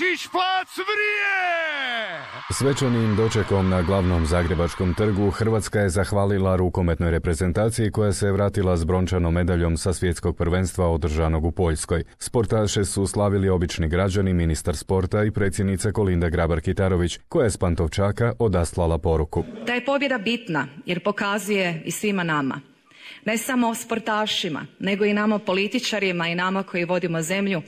Bačić, plac vrije! Svečanim dočekom na glavnom zagrebačkom trgu Hrvatska je zahvalila rukometnoj reprezentaciji koja se vratila s brončanom medaljom sa svjetskog prvenstva održanog u Poljskoj. Sportaše su slavili obični građani, ministar sporta i predsjednica Kolinda Grabar-Kitarović, koja je s Pantovčaka odaslala poruku. Da je pobjeda bitna jer pokazuje i svima nama, ne samo sportašima, nego i nama političarima i nama koji vodimo zemlju,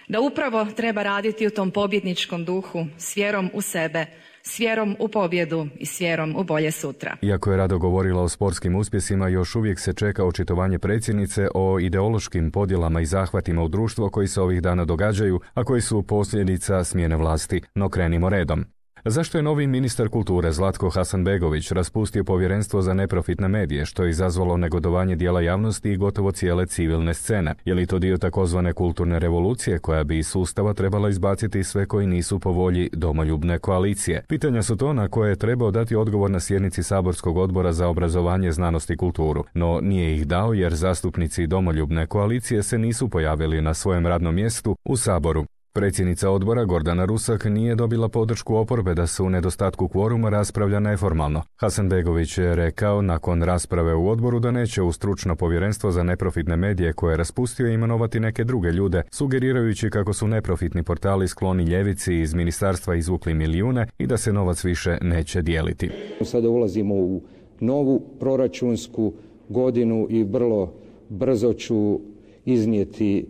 da upravo treba raditi u tom pobjedničkom duhu s vjerom u sebe, s vjerom u pobjedu i s vjerom u bolje sutra. Iako je rado govorila o sportskim uspjesima, još uvijek se čeka očitovanje predsjednice o ideološkim podjelama i zahvatima u društvo koji se ovih dana događaju, a koji su posljedica smjene vlasti. No krenimo redom. Zašto je novi ministar kulture Zlatko Hasanbegović raspustio povjerenstvo za neprofitne medije, što je izazvalo negodovanje dijela javnosti i gotovo cijele civilne scene? Je li to dio takozvane kulturne revolucije koja bi iz sustava trebala izbaciti sve koji nisu po volji domoljubne koalicije? Pitanja su to na koje je trebao dati odgovor na sjednici saborskog odbora za obrazovanje, znanost i kulturu, no nije ih dao jer zastupnici domoljubne koalicije se nisu pojavili na svojem radnom mjestu u Saboru. Predsjednica odbora Gordana Rusak nije dobila podršku oporbe da se u nedostatku kvoruma raspravlja neformalno. Hasanbegović je rekao nakon rasprave u odboru da neće u stručno povjerenstvo za neprofitne medije koje je raspustio imenovati neke druge ljude, sugerirajući kako su neprofitni portali skloni ljevici iz ministarstva izvukli milijune i da se novac više neće dijeliti. Sada ulazimo u novu proračunsku godinu i vrlo brzo ću iznijeti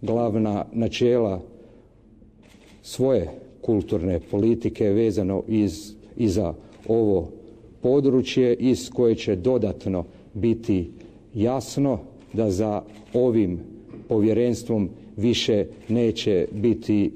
glavna načela svoje kulturne politike vezano i za ovo područje iz koje će dodatno biti jasno da za ovim povjerenstvom više neće biti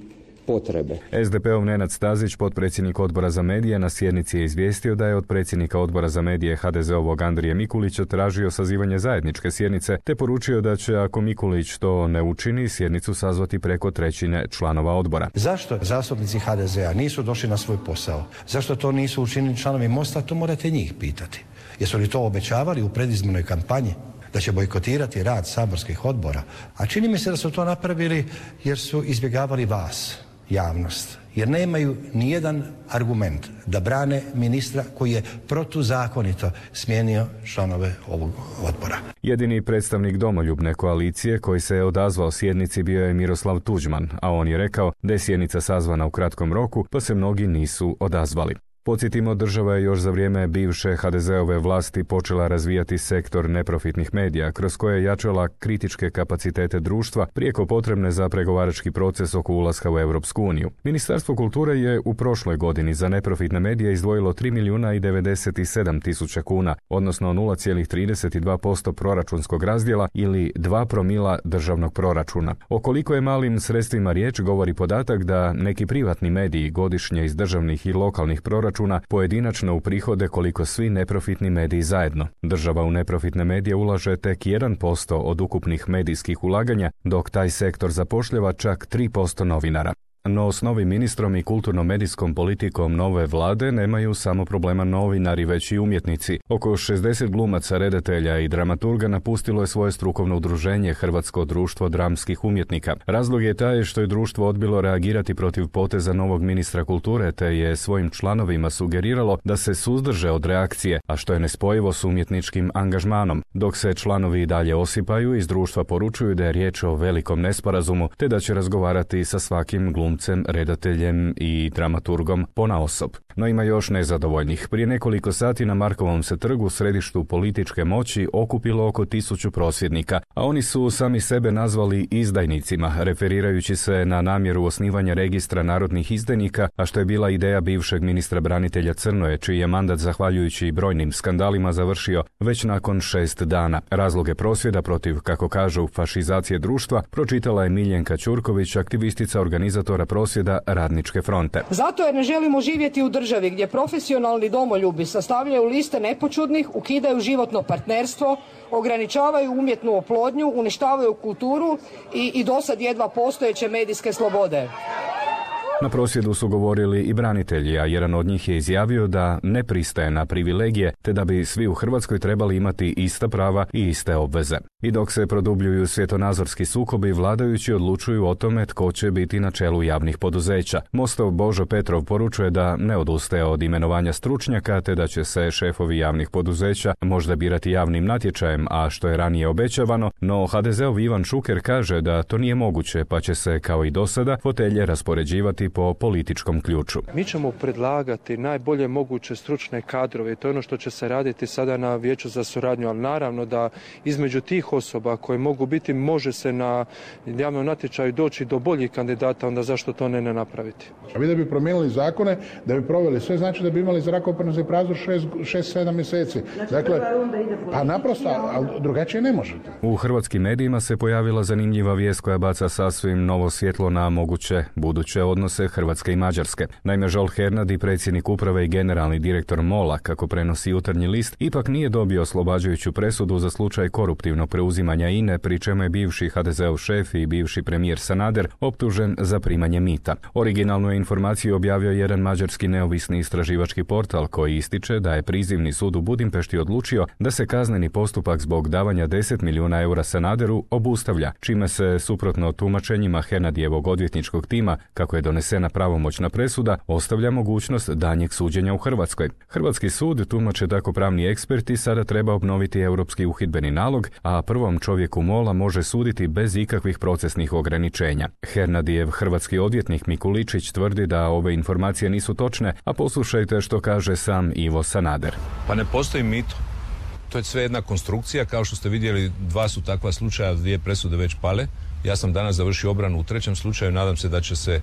potrebe. SDP-ov Nenad Stazić, potpredsjednik odbora za medije, na sjednici je izvijestio da je od predsjednika odbora za medije HDZ-ovog Andrije Mikulića tražio sazivanje zajedničke sjednice, te poručio da će, ako Mikulić to ne učini, sjednicu sazvati preko trećine članova odbora. Zašto zastupnici HDZ-a nisu došli na svoj posao? Zašto to nisu učinili članovi Mosta? To morate njih pitati. Jesu li to obećavali u predizbornoj kampanji? Da će bojkotirati rad saborskih odbora? A čini mi se da su to napravili jer su izbjegavali vas, javnost, jer nemaju nijedan argument da brane ministra koji je protuzakonito smijenio članove ovog odbora. Jedini predstavnik domoljubne koalicije koji se je odazvao sjednici bio je Miroslav Tuđman, a on je rekao da je sjednica sazvana u kratkom roku, pa se mnogi nisu odazvali. Podsjetimo, država je još za vrijeme bivše HDZ-ove vlasti počela razvijati sektor neprofitnih medija, kroz koje je jačala kritičke kapacitete društva prijeko potrebne za pregovarački proces oko ulaska u Europsku uniju. Ministarstvo kulture je u prošloj godini za neprofitne medije izdvojilo 3.097.000 kuna, odnosno 0,32% proračunskog razdjela ili 2 promila državnog proračuna. O koliko je malim sredstvima riječ govori podatak da neki privatni mediji godišnje iz državnih i lokalnih proračuna pojedinačno uprihode koliko svi neprofitni mediji zajedno. Država u neprofitne medije ulaže tek 1% od ukupnih medijskih ulaganja, dok taj sektor zapošljava čak 3% novinara. No s novim ministrom i kulturno-medijskom politikom nove vlade nemaju samo problema novinari, već i umjetnici. Oko 60 glumaca, redatelja i dramaturga napustilo je svoje strukovno udruženje Hrvatsko društvo dramskih umjetnika. Razlog je taj što je društvo odbilo reagirati protiv poteza novog ministra kulture, te je svojim članovima sugeriralo da se suzdrže od reakcije, a što je nespojivo s umjetničkim angažmanom. Dok se članovi i dalje osipaju, iz društva poručuju da je riječ o velikom nesporazumu, te da će razgovarati sa svakim glumcem, redateljem i dramaturgom ponaosob. No ima još nezadovoljnih. Prije nekoliko sati na Markovom se trgu, u središtu političke moći, okupilo oko 1000 prosvjednika, a oni su sami sebe nazvali izdajnicima, referirajući se na namjeru osnivanja registra narodnih izdajnika, a što je bila ideja bivšeg ministra branitelja Crnoje, čiji je mandat zahvaljujući brojnim skandalima završio već nakon 6 dana. Razloge prosvjeda protiv, kako kažu, fašizacije društva pročitala je Miljenka Ćurković, aktivistica organizatora prosvjeda Radničke fronte. Zato jer ne želimo živjeti u državi gdje profesionalni domoljubi sastavljaju liste nepočudnih, ukidaju životno partnerstvo, ograničavaju umjetnu oplodnju, uništavaju kulturu i dosad jedva postojeće medijske slobode. Na prosvjedu su govorili i branitelji, a jedan od njih je izjavio da ne pristaje na privilegije, te da bi svi u Hrvatskoj trebali imati ista prava i iste obveze. I dok se produbljuju svjetonazorski sukobi, vladajući odlučuju o tome tko će biti na čelu javnih poduzeća. Mostov Božo Petrov poručuje da ne odustaje od imenovanja stručnjaka, te da će se šefovi javnih poduzeća možda birati javnim natječajem, a što je ranije obećavano, no HDZ-ov Ivan Šuker kaže da to nije moguće, pa će se, kao i do sada, fotelje raspoređivati po političkom ključu. Mi ćemo predlagati najbolje moguće stručne kadrove i to je ono što će se raditi sada na Vijeću za suradnju, ali naravno da između tih osoba koje mogu biti, može se na javnom natječaju doći do boljih kandidata, onda zašto to ne napraviti? A vi da bi promijenili zakone, da bi proveli sve, znači da bi imali zrakoprazno prazor 6-7 mjeseci. Dakle, pa naprosto, ali drugačije ne možete. U hrvatskim medijima se pojavila zanimljiva vijest koja baca sasvim novo svjetlo na moguće buduće odnose Hrvatske i Mađarske. Naime, Žolt Hernadi, predsjednik uprave i generalni direktor MOL-a, kako prenosi Jutarnji list, ipak nije dobio oslobađajuću presudu za slučaj koruptivnog preuzimanja INE, pri čemu je bivši HDZ-ov šef i bivši premijer Sanader optužen za primanje mita. Originalnu informaciju objavio jedan mađarski neovisni istraživački portal koji ističe da je prizivni sud u Budimpešti odlučio da se kazneni postupak zbog davanja 10 milijuna eura Sanaderu obustavlja, čime se, suprotno tumačenjima Hernadijevog odvjetničkog tima, kako je donesena pravomoćna presuda, ostavlja mogućnost daljnjeg suđenja u Hrvatskoj. Hrvatski sud, tumače tako pravni eksperti, sada treba obnoviti europski uhidbeni nalog, a prvom čovjeku MOL-a može suditi bez ikakvih procesnih ograničenja. Hernadijev hrvatski odvjetnik Mikuličić tvrdi da ove informacije nisu točne, a poslušajte što kaže sam Ivo Sanader. Pa ne postoji mito. To je sve jedna konstrukcija, kao što ste vidjeli, 2 su takva slučaja, 2 presude već pale. Ja sam danas završio obranu u 3. slučaju, nadam se da će se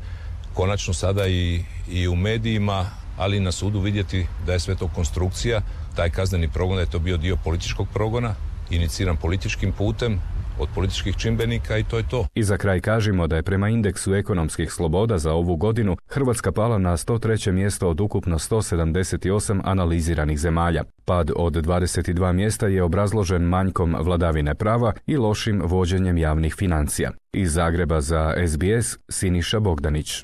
konačno sada i u medijima, ali i na sudu vidjeti da je sve to konstrukcija, taj kazneni progon, da je to bio dio političkog progona, iniciran političkim putem, od političkih čimbenika i to je to. I za kraj kažemo da je prema indeksu ekonomskih sloboda za ovu godinu Hrvatska pala na 103. mjesto od ukupno 178 analiziranih zemalja. Pad od 22 mjesta je obrazložen manjkom vladavine prava i lošim vođenjem javnih financija. Iz Zagreba za SBS Siniša Bogdanić.